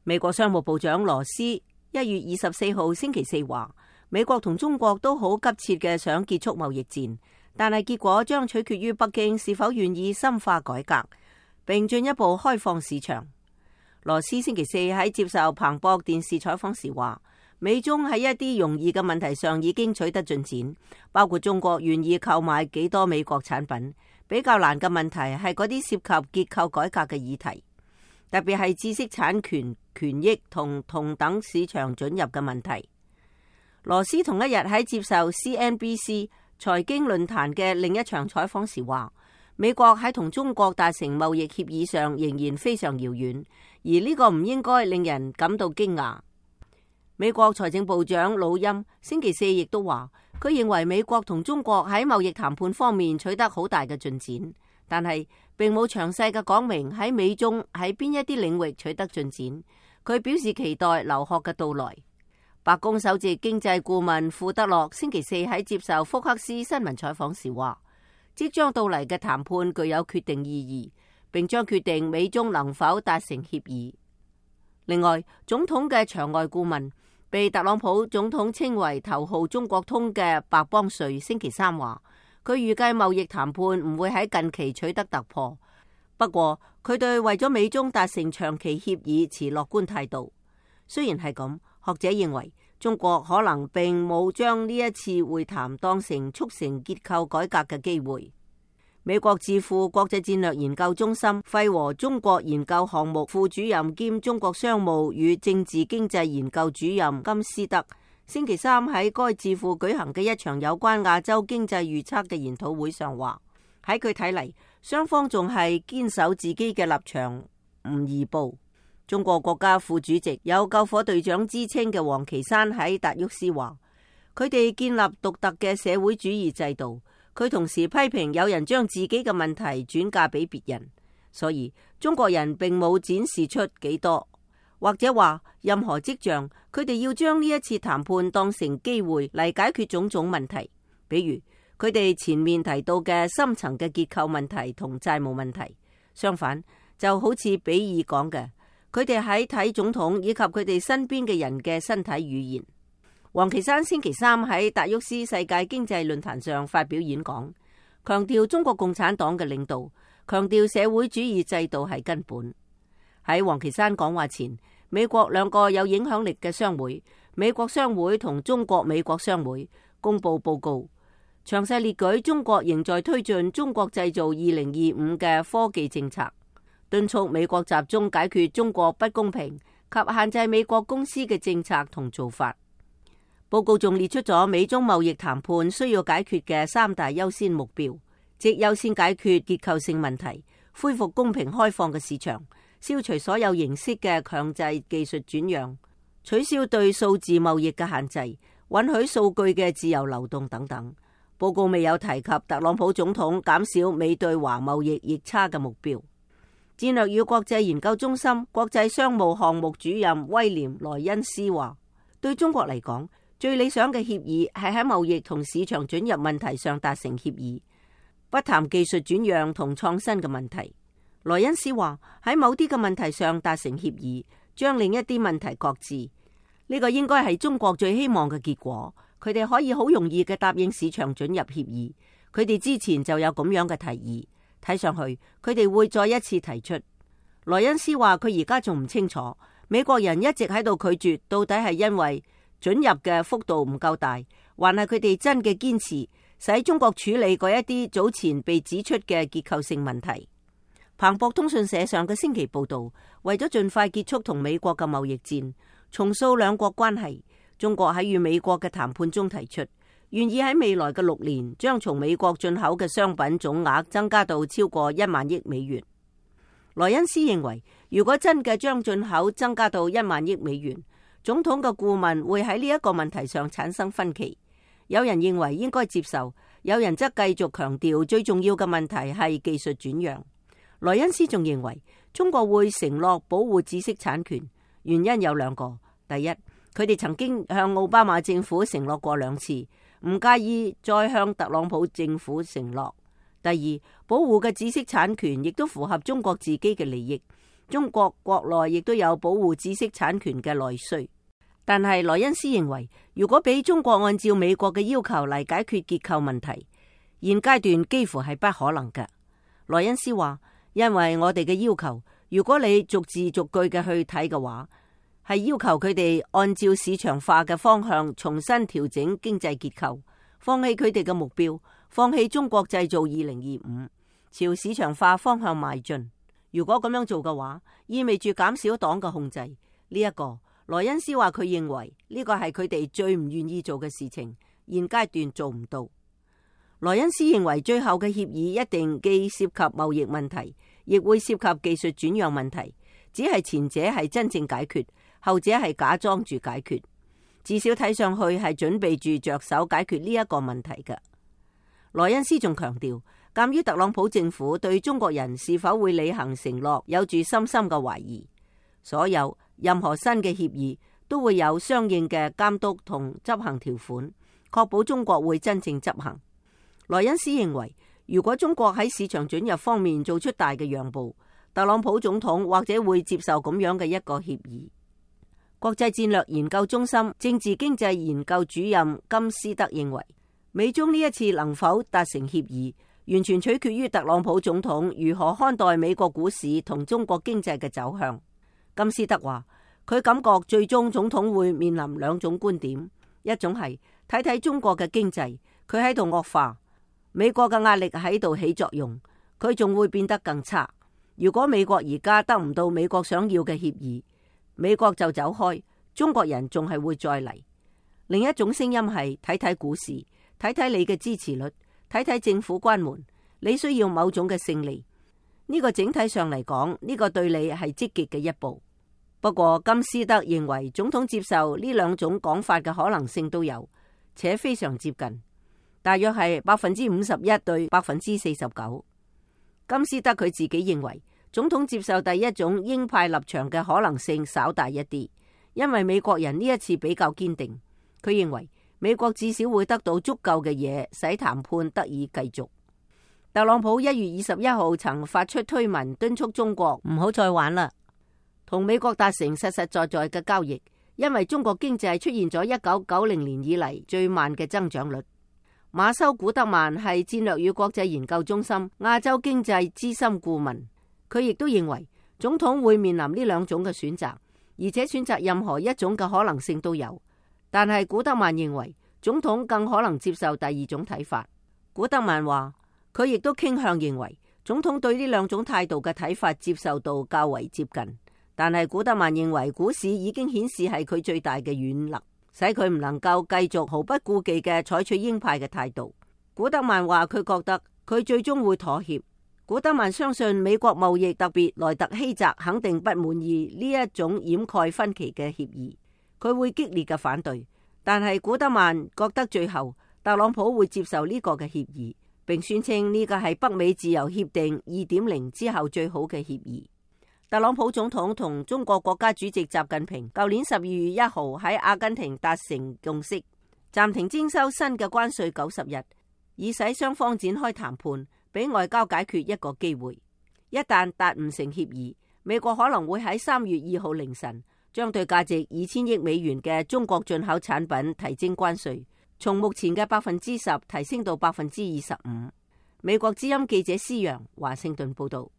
美國商務部長羅斯1月24號星期四話，美國同中國都好急切嘅想結束貿易戰，但係結果將取決於北京是否願意深化改革，並進一步開放市場。羅斯星期四喺接受彭博電視採訪時話，美中喺一啲容易嘅問題上已經取得進展，包括中國願意購買幾多美國產品。比較難嘅問題係嗰啲涉及結構改革嘅議題，特別係知識產權權益同同等市場准入嘅問題。羅斯同一日喺接受 CNBC 財經論壇嘅另一場採訪時話，美國喺同中國達成貿易協議上仍然非常遙遠，而呢個唔應該令人感到驚訝。美國財政部長魯欽星期四亦都話，佢認為美國同中國喺貿易談判方面取得好大嘅進展，但係並冇詳細嘅講明喺美中喺邊一啲領域取得進展。佢表示期待劉鶴嘅到來。白宮首席經濟顧問庫德洛星期四喺接受福克斯新聞採訪時話，即將到嚟嘅談判具有決定意義，並將決定美中能否達成協議。另外，總統嘅場外顧問，被特朗普總統稱為頭號中國通嘅白邦瑞星期三話，佢預計貿易談判唔會喺近期取得突破，不過佢對為咗美中達成長期協議持樂觀態度。雖然係咁，學者認為中國可能並冇將呢一次會談當成促成結構改革嘅機會。美國智庫國際戰略研究中心費和中國研究項目副主任兼中國商務與政治經濟研究主任金斯德星期三喺該智庫舉行嘅一場有關亞洲經濟預測嘅研討會上話，喺佢睇嚟，雙方仲係堅守自己嘅立場，唔移步。中國國家副主席有救火隊長之稱嘅王岐山喺達沃斯話，佢哋建立獨特嘅社會主義制度。佢同時批評有人將自己嘅問題轉嫁俾別人，所以中國人並冇展示出幾多，或者話任何跡象，佢哋要將呢一次談判當成機會嚟解決種種問題，比如佢哋前面提到嘅深層嘅結構問題同債務問題。相反，就好似比爾講嘅，佢哋喺睇總統以及佢哋身邊嘅人嘅身體語言。王岐山星期三喺達沃斯世界經濟論壇上發表演講，強調中國共產黨嘅領導，強調社會主義制度係根本。喺王岐山講話前，美國兩個有影響力嘅商會，美國商會同中國美國商會公布報告，詳細列舉中國仍在推進中國製造2025嘅科技政策，敦促美國集中解決中國不公平及限制美國公司嘅政策同做法。報告仲列出咗美中貿易談判需要解決嘅3大優先目標，即優先解決結構性問題，恢復公平開放嘅市場，消除所有形式嘅強制技術轉讓，取消對數字貿易嘅限制，允許數據嘅自由流動等等。報告未有提及特朗普總統減少美對華貿易逆差嘅目標。戰略與國際研究中心國際商務項目主任威廉萊恩斯話，對中國嚟講，最理想嘅協議係喺貿易同市場准入問題上達成協議，不談技術轉讓同創新嘅問題。萊恩斯話，喺某啲嘅問題上達成協議，將另一啲問題擱置，呢個應該係中國最希望嘅結果。佢哋可以好容易嘅答應市場准入協議，佢哋之前就有咁樣嘅提議，睇上去佢哋會再一次提出。萊恩斯話，佢而家仲唔清楚，美國人一直喺度拒絕，到底係因為准入嘅幅度唔夠大，還係佢哋真嘅堅持使中國處理嗰一啲早前被指出嘅結構性問題。彭博通訊社上個星期報道，為咗盡快結束同美國嘅貿易戰，重塑兩國關係，中國喺與美國嘅談判中提出，願意喺未來嘅6年將從美國進口嘅商品總額增加到超過1萬億美元。萊恩斯認為，如果真嘅將進口增加到1萬億美元，總統嘅顧問會喺呢一個問題上產生分歧。有人認為應該接受，有人則繼續強調最重要嘅問題係技術轉讓。萊恩斯仲認為中國會承諾保護知識產權，原因有2個。第一，佢哋曾經向奧巴馬政府承諾過2次，唔介意再向特朗普政府承諾。第二，保護嘅知識產權亦都符合中國自己嘅利益，中國國內亦都有保護知識產權嘅內需。但係萊恩斯認為，如果俾中國按照美國嘅要求嚟解決結構問題，現階段幾乎係不可能嘅。萊恩斯話，因為我哋嘅要求，如果你逐字逐句嘅去睇嘅話，係要求佢哋按照市場化嘅方向重新調整經濟結構，放棄佢哋嘅目標，放棄中國製造2025，朝市場化方向邁進。如果咁樣做嘅話，意味住減少黨嘅控制。呢一個萊恩斯話，佢認為呢個係佢哋最唔願意做嘅事情，現階段做唔到。萊恩斯認為最後嘅協議一定既涉及貿易問題，亦會涉及技術轉讓問題，只係前者係真正解決，後者係假裝住解決，至少睇上去係準備住着手解決呢一個問題嘅。萊恩斯仲強調，鑒於特朗普政府對中國人是否會履行承諾有住深深嘅懷疑，所有任何新嘅協議都會有相應嘅監督同執行條款，確保中國會真正執行。萊恩斯認為，如果中國喺市場准入方面做出大嘅讓步，特朗普總統或者會接受咁樣嘅一個協議。國際戰略研究中心政治經濟研究主任金斯德認為，美中呢一次能否達成協議，完全取決於特朗普總統如何看待美國股市同中國經濟嘅走向。金斯德話，佢感覺最終總統會面臨兩種觀點，一種係睇睇中國嘅經濟，佢喺度惡化，美國嘅壓力喺度起作用，佢仲會變得更差。如果美國而家得唔到美國想要嘅協議，美國就走開，中國人仲係會再嚟。另一種聲音係睇睇股市，睇睇你嘅支持率，睇睇政府關門，你需要某種嘅勝利。呢個整體上嚟講，呢個對你係積極嘅一步。不過金斯德認為總統接受呢兩種講法嘅可能性都有，且非常接近，大約係51%對49%。金斯德佢自己認為總統接受第一種鷹派立場嘅可能性稍大一啲，因為美國人呢一次比較堅定。佢認為美國至少會得到足夠嘅嘢，使談判得以繼續。特朗普1月21號曾發出推文敦促中國唔好再玩啦，同美國達成實實在在嘅交易，因為中國經濟出現咗1990年以嚟最慢嘅增長率。馬修古德曼係戰略與國際研究中心亞洲經濟資深顧問，佢亦都認為總統會面臨呢兩種嘅選擇，而且選擇任何一種嘅可能性都有。但係古德曼認為總統更可能接受第二種睇法。古德曼話，佢亦都傾向認為總統對呢兩種態度嘅睇法接受度較為接近。但係古德曼認為股市已經顯示係佢最大嘅軟肋，使佢唔能夠繼續毫不顧忌嘅採取鷹派嘅態度。古德曼話佢覺得佢最終會妥協。古德曼相信美國貿易特別萊特希澤肯定不滿意呢一種掩蓋分歧嘅協議，佢會激烈嘅反對。但係古德曼覺得最後特朗普會接受呢個嘅協議，並宣稱呢個係北美自由協定2.0之後最好嘅協議。特朗普總統同中國國家主席習近平舊年12月1號喺阿根廷達成共識，暫停徵收新嘅關稅90日，以使雙方展開談判，俾外交解決一個機會。一旦達唔成協議，美國可能會喺3月2號凌晨將對價值2000億美元嘅中國進口產品提徵關稅，從目前嘅10%提升到25%。美國之音記者施洋華盛頓報道。